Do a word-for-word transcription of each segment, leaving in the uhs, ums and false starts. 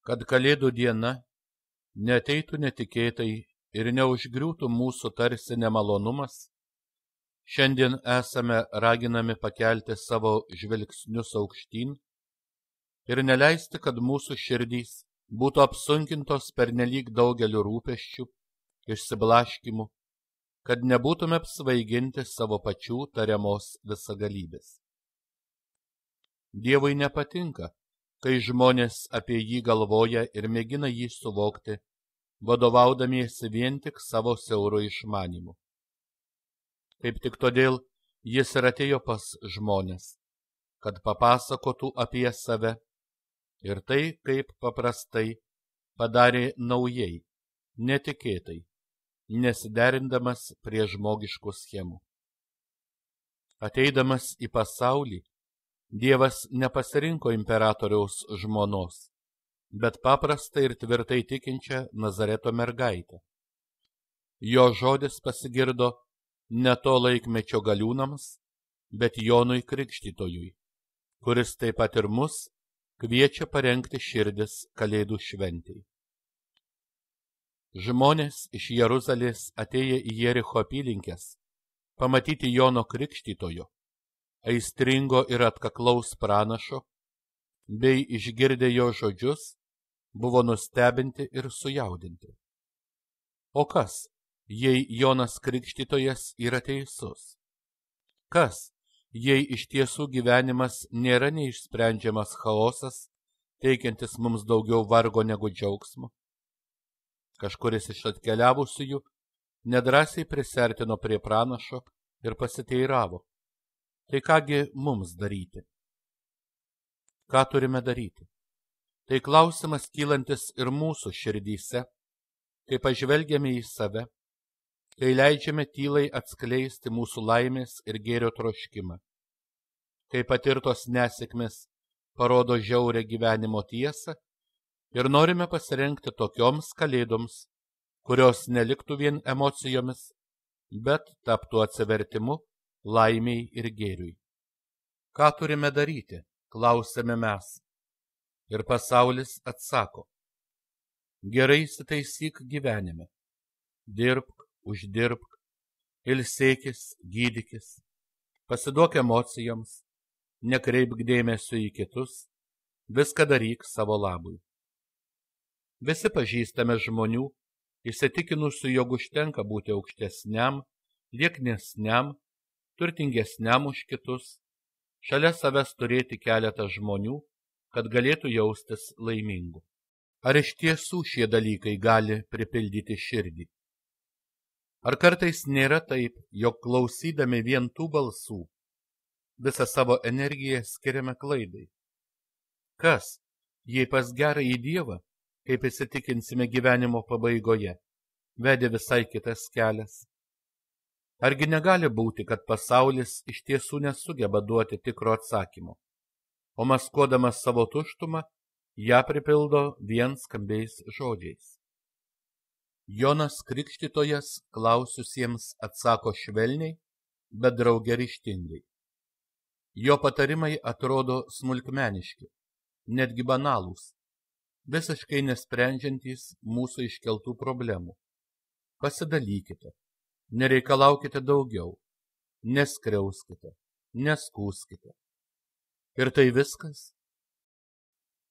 kad Kalėdų diena neateitų netikėtai ir neužgriūtų mūsų tarsi nemalonumas, šiandien esame raginami pakelti savo žvilgsnius aukštyn ir neleisti, kad mūsų širdys būtų apsunkintos pernelyg daugeliu rūpesčių, išsiblaškimų, kad nebūtume apsvaiginti savo pačių tariamos visagalybės. Dievui nepatinka, kai žmonės apie jį galvoja ir mėgina jį suvokti, vadovaudamiesi vien tik savo siauru išmanimu. Kaip tik todėl jis ir atėjo pas žmonės, kad papasakotų apie save ir tai, kaip paprastai padarė naujai, netikėtai, nesiderindamas prie žmogiškų schemų. Ateidamas į pasaulį, Dievas nepasirinko imperatoriaus žmonos, bet paprastą ir tvirtai tikinčią Nazareto mergaitę. Jo žodis pasigirdo ne to laikmečio galiūnams, bet Jonui Krikštytojui, kuris taip pat ir mus kviečia parengti širdis Kalėdų šventei. Žmonės iš Jeruzalės atėję į Jericho apylinkes pamatyti Jono Krikštytojo, aistringo ir atkaklaus pranašo, bei išgirdę jo žodžius, buvo nustebinti ir sujaudinti. O kas, jei Jonas Krikštytojas yra teisus? Kas, jei iš tiesų gyvenimas nėra neišsprendžiamas chaosas, teikiantis mums daugiau vargo negu džiaugsmo? Kažkuris iš atkeliavusiųjų nedrąsiai prisertino prie pranašo ir pasiteiravo. Tai kągi mums daryti? Ką turime daryti? Tai klausimas kylantis ir mūsų širdyse, kai pažvelgiame į save, kai leidžiame tylai atskleisti mūsų laimės ir gėrio troškimą, kai patirtos nesėkmės parodo žiaurią gyvenimo tiesą ir norime pasirengti tokioms kalėdoms, kurios neliktų vien emocijomis, bet taptų atsivertimu, laimiai ir gėriui. Ką turime daryti, klausėme mes. Ir pasaulis atsako. Gerai įsitaisyk gyvenime. Dirbk, uždirbk, ilsėkis, gydykis, pasiduok emocijoms, nekreipk dėmesio į kitus, viską daryk savo labui. Visi pažįstame žmonių, įsitikinusių, jog užtenka būti aukštesniam, lieknesniam, turtingesniam už kitus, šalia savęs turėti keletą žmonių, kad galėtų jaustis laimingu. Ar iš tiesų šie dalykai gali pripildyti širdį? Ar kartais nėra taip, jog klausydami vien tų balsų, visą savo energiją skiriame klaidai? Kas, jei pas gerąjį Dievą, kaip įsitikinsime gyvenimo pabaigoje, vedė visai kitas kelias? Argi negali būti, kad pasaulis iš tiesų nesugeba duoti tikro atsakymo, o maskuodamas savo tuštumą, ją pripildo vien skambiais žodžiais? Jonas Krikštytojas klausiusiems atsako švelniai, bet drauge ryžtingai. Jo patarimai atrodo smulkmeniški, netgi banalūs, visiškai nesprendžiantys mūsų iškeltų problemų. Pasidalykite. Nereikalaukite daugiau, neskriauskite, neskūskite. Ir tai viskas?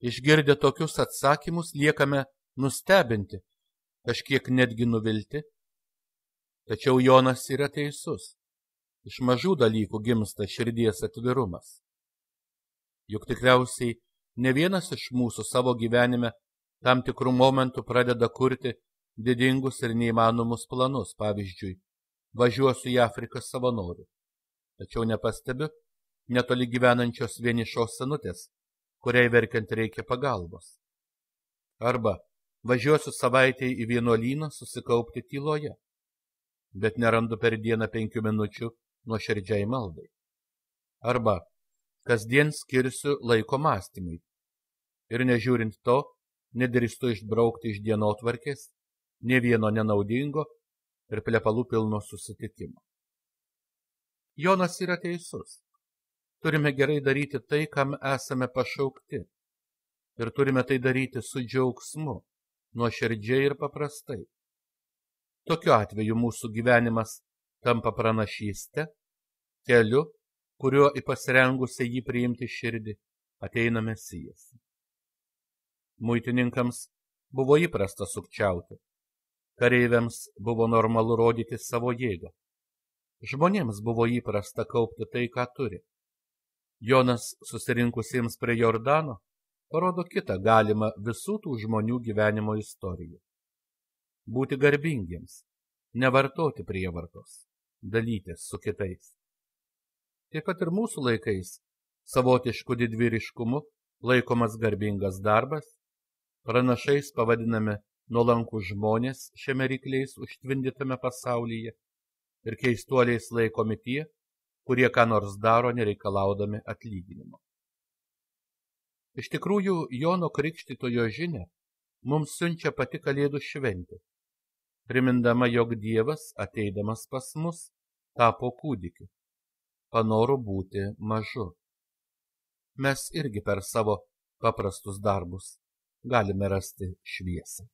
Išgirdę tokius atsakymus liekame nustebinti, kažkiek netgi nuvilti. Tačiau Jonas yra teisus. Iš mažų dalykų gimsta širdies atvirumas. Juk tikriausiai ne vienas iš mūsų savo gyvenime tam tikrų momentų pradeda kurti didingus ir neįmanomus planus, pavyzdžiui, važiuosiu į Afriką savanoriu, tačiau nepastebiu netoli gyvenančios vienišos senutės, kuriai verkiant reikia pagalbos. Arba važiuosiu savaitei į vienuolyną susikaupti tyloje, bet nerandu per dieną penkių minučių nuoširdžiai maldai. Arba kasdien skirsiu laiko mąstymui ir nežiūrint to, nedrįstu išbraukti iš dienotvarkės nė vieno nenaudingo ir plepalų pilno susitikimo. Jonas yra teisus. Turime gerai daryti tai, kam esame pašaukti. ir turime tai daryti su džiaugsmu, nuoširdžiai ir paprastai. Tokiu atveju mūsų gyvenimas tampa pranašyste, keliu, kuriuo į pasirengusią jį priimti širdį ateina Mesijas. Muitininkams buvo įprasta sukčiauti, kareiviams buvo normalu rodyti savo jėgą. Žmonėms buvo įprasta kaupti tai, ką turi. Jonas susirinkusiems prie Jordano parodo kitą galimą visų tų žmonių gyvenimo istoriją. Būti garbingiems, nevartoti prievartos, dalytis su kitais. Taip pat ir mūsų laikais savotišku didvyriškumu laikomas garbingas darbas, pranašais pavadiname nuolankų žmonės šiame rykliais užtvindytame pasaulyje ir keistuoliais laikomi tie, kurie ką nors daro nereikalaudami atlyginimo. Iš tikrųjų, Jono Krikštytojo žinia mums siunčia pati Kalėdų šventė, primindama, jog Dievas, ateidamas pas mus, tapo kūdikiu, panoro būti mažu. Mes irgi per savo paprastus darbus galime rasti šviesą.